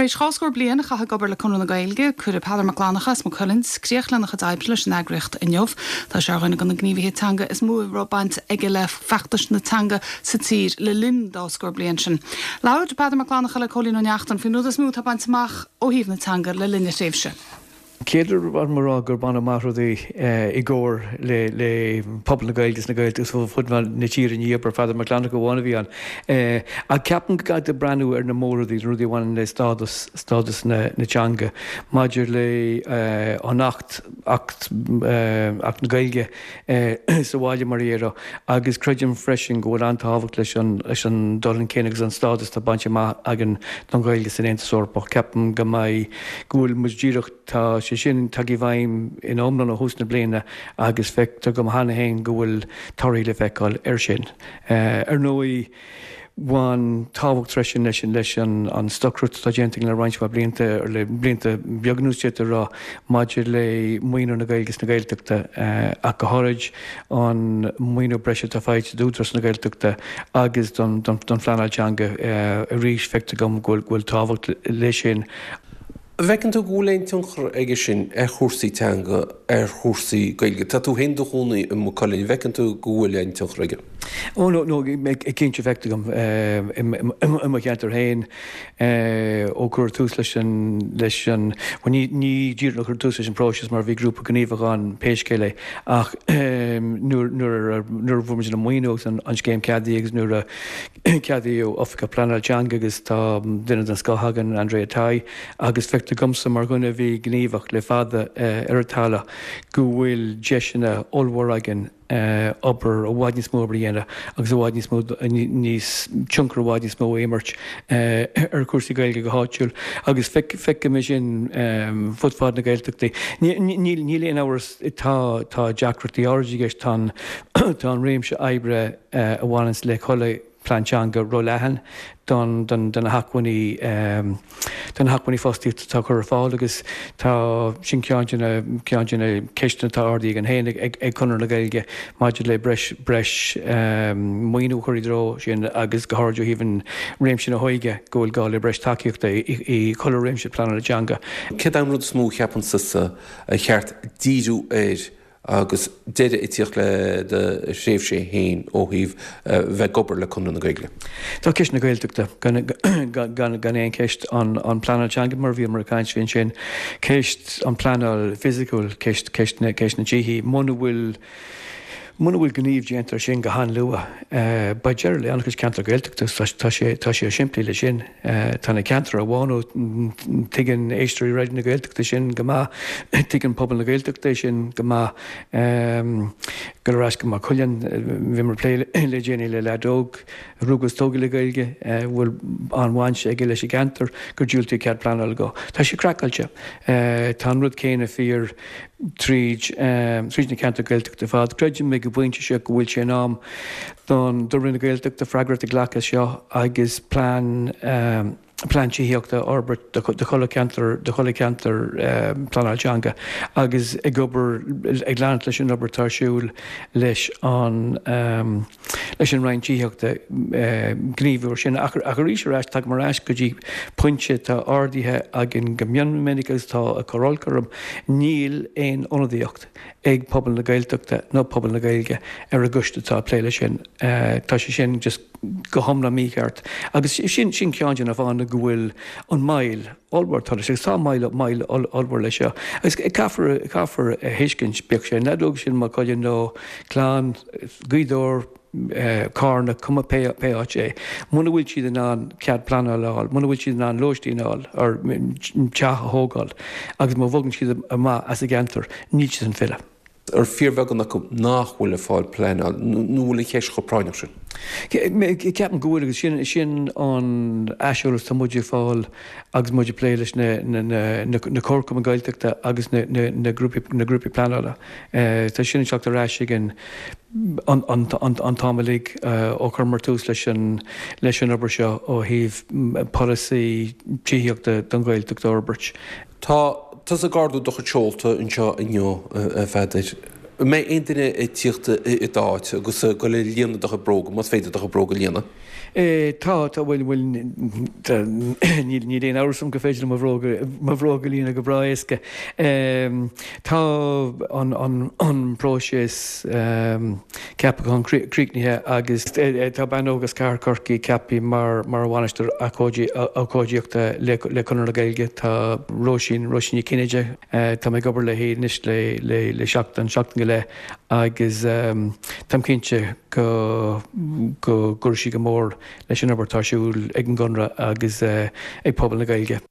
Tar éis 2 scór bliain a chaitheamh ag obair le Conradh na Gaeilge, cuirfidh Peadar Mac Fhlannchadha as Maigh Cuilinn críoch lena chuid oibre leis an eagraíocht inniu. Tá sé ar dhuine de na gníomhaithe teanga is mó a raibh baint aige le feachtais na teanga sa tír le linn an dá scór bliain sin. Labhair Peadar Mac Fhlannchadha le Cóilín Ó Neachtain faoin rud is mó atá bainte amach ó thaobh na teanga le linn a thréimhse. Chéad rud ba mhaith liom a rá gur baineadh amach rudaí i gcomhar le pobal na Gaeilge is na Gaeltachta fud fad na tíre, ní obair Pheadar Mac Fhlannchadha amháin a bhí ann. Ach ceapaim go gcaithfidh tú breathnú ar na mór-rudaí, na rudaí a bhaineann le stádas, stádas na teanga, maidir le an Acht, Acht, Acht na Gaeilge sa bhaile mar a déarfá, agus creidim freisin go bhfuil an-tábhacht leis an, leis an dul chun cinn agus an stádas atá bainte amach againn don Ghaeilge san Aontas Eorpach. Ceapaim go mbeidh, go bhfuil muid díreach, tá sé sin tagtha i bhfeidhm ina iomlán ó thús na bliana agus feictear dom cheana féin go bhfuil torthaí le feiceáil air sin. Ar ndóigh, bhain tábhacht freisin leis leis an stocaireacht atá déanta againn le roinnt mhaith blianta, le blianta beaga anuas d'fhéadfá a rá, maidir le maoiniú na Gaeilge is na Gaeltachta, ach go háirid an maoiniú breise atá faighte d'Údarás na Gaeltachta agus don phleanáil teanga. Arís, feictear dom go bhfuil tábhacht leis sin. An bhfeiceann tú go bhfuil aon tionchar aige sin ar chúrsaí teanga, ar chúrsaí Gaeilge? Tá tú féin i do chónaí i Maigh Cuilinn, an bhfeiceann tú go bhfuil aon tionchar aige? Ó no, no, cinnte feictear dom i mo cheantar féin ó cuireadh tús leis an, leis an, bhuel ní, ní díreach ó cuireadh tús leis an bpróiseas mar bhí grúpa gníomhach ann pé scéal é ach nuair, nuair a, nuair a fuair muid an maoiniú agus an scéim ceadaithe agus nuair a Ceadaíodh Oifigeach Pleanála Teanga agus tá duine den scoth againn, Andrea Tighe, agus feictear domsa mar dhuine a bhí gníomhach le fada ar an talamh go bhfuil deiseanna ollmhór againn obair, i bhfad níos mó obair a dhéanamh agus i bhfad níos mó, níos, tionchar i bhfad níos mó a imirt ar chúrsaí Gaeilge go háitiúil agus feicim é sin fud fad na Gaeltachtaí. Níl aon amhras, tá, tá deacrachtaí áirid i gceist, tá an, tá an réimse oibre, a bhaineanns le chuile phlean teanga ró-leathan don do na hacmhainní do na hacmhainní fostaíochta atá curtha ar fáil agus tá sin ceann de na ceann de na ceisteanna atá ardaithe againn féin ag ag Conradh na Gaeilge maidir le breis breis maoiniú a chur i dtreo sin agus go háirid ó thaobh an réimse na hóige go bhfuil gá le breis tacaíochta i i chuile réimse pleanála teanga. Céard é an rud is mó a cheapann tusa ar cheart díriú air agus deireadh ag tíocht le do thréimhse féin ó thaobh bheith ag obair le Conradh na Gaeilge? Tá ceist na Gaeltachta, gan aon cheist, an pleanáil teanga mar a bhíomar ag caint faoi ansin, ceist an pleanáil fisiciúil, ceist ceist na dtithí, muna bhfuil muna bhfuil gníomh déanta ar sin go han-luath, beidh deireadh le an-chuid ceantar Gaeltachta, tá sé tá sé simplí leis sin. Tá na ceantair á bhánú, tuigeann éisteoirí Raidió na Gaeltachta sin go maith, tuigeann pobal na Gaeltachta é sin go maith. Dul ar ais go Maigh Cuilinn, bhíomar ag plé le déanaí le leaid óg a rugadh is tógadh le Gaeilge, a bhfuil an-bhaint aige leis an gceantar, gur diúltaíodh cead pleanála dó. Tá sé craiceáilte. Tá an rud céanna fíor tríd tríd na ceantair Gaeltachta ar fad. Creidim ag an bpointe seo go bhfuil sé in am don do Roinn na Gaeltachta freagracht a ghlacadh as seo agus plean plean tithíochta a fhorbairt do do chuile cheantar do chuile cheantar pleanáil teanga agus ag obair ag leanacht leis an obair atá ar siúl leis an leis an Roinn Tithíochta gníomhú ar sin. Ach arís ar ais, tagaim ar ais go dtí pointe atá ardaithe againn go mion minic agus atá ag cur olc orm, níl aon ionadaíocht ag pobal na Gaeltachta nó pobal na Gaeilge ar an gcoiste atá ag plé leis sin. Tá sé sin just go hiomlán mícheart. Agus sin ceann de na fáthanna go bhfuil an moill ollmhór atá leis, agus tá moill moill ollmhór leis seo. Agus caithfear caithfear a thuiscint, bíodh sé an leaid óg sin i Maigh Cuilinn nó clann Ghaoth Dobhair, Carna, cuma pé pé áit é, muna bhfuil siad in ann cead pleanála a fháil, muna bhfuil siad in ann lóistín a fháil, or teach a thógáil, agus má bhogann siad amach as a gceantar, níl siad in ann filleadh. Ar fíorbheagán acu nach bhfuil ag fáil pleanáil, nó bhfuil an cheist chomh práinneach sin? Ceapaim go bhfuil, agus sin sin an aiseolas atá muid ag fáil agus muid ag plé leis na na comharchumainn Gaeltachta agus na na grúpaí na grúpaí pleanála. Tá sin ag teacht ar ais againn an an an t-am uilig ó chuireamar tús leis an leis an obair seo ó thaobh polasaí tithíochta don Ghaeltacht a fhorbairt. Tá tusa ag ardú do chuid seolta anseo inniu, a Pheadair. An mbeidh aon duine ag tíocht i d'áit agus ag dul ag líonadh do chuid bróga, más féidir do chuid bróga a líonadh? Tá, tá, bhuel, bhuel, níl, níl aon amhras agam gur féidir liom mo bhróga, mo bhróga a líonadh go breá éasca. Tá an, an, an próiseas ceapacháin críochnaithe agus tá bean óg as Cathair Chorcaí ceaptha mar, mar bhainisteoir ócáidíochta le, le Conradh na Gaeilge. Tá Róisín, Róisín Ní Chinnéide, Tá mé ag obair léi anois le seachtain, seachtain go leith agus táim cinnte go go gcuirfidh sí go mór leis an obair atá ar siúl ag an gConradh agus ag pobal na Gaeilge.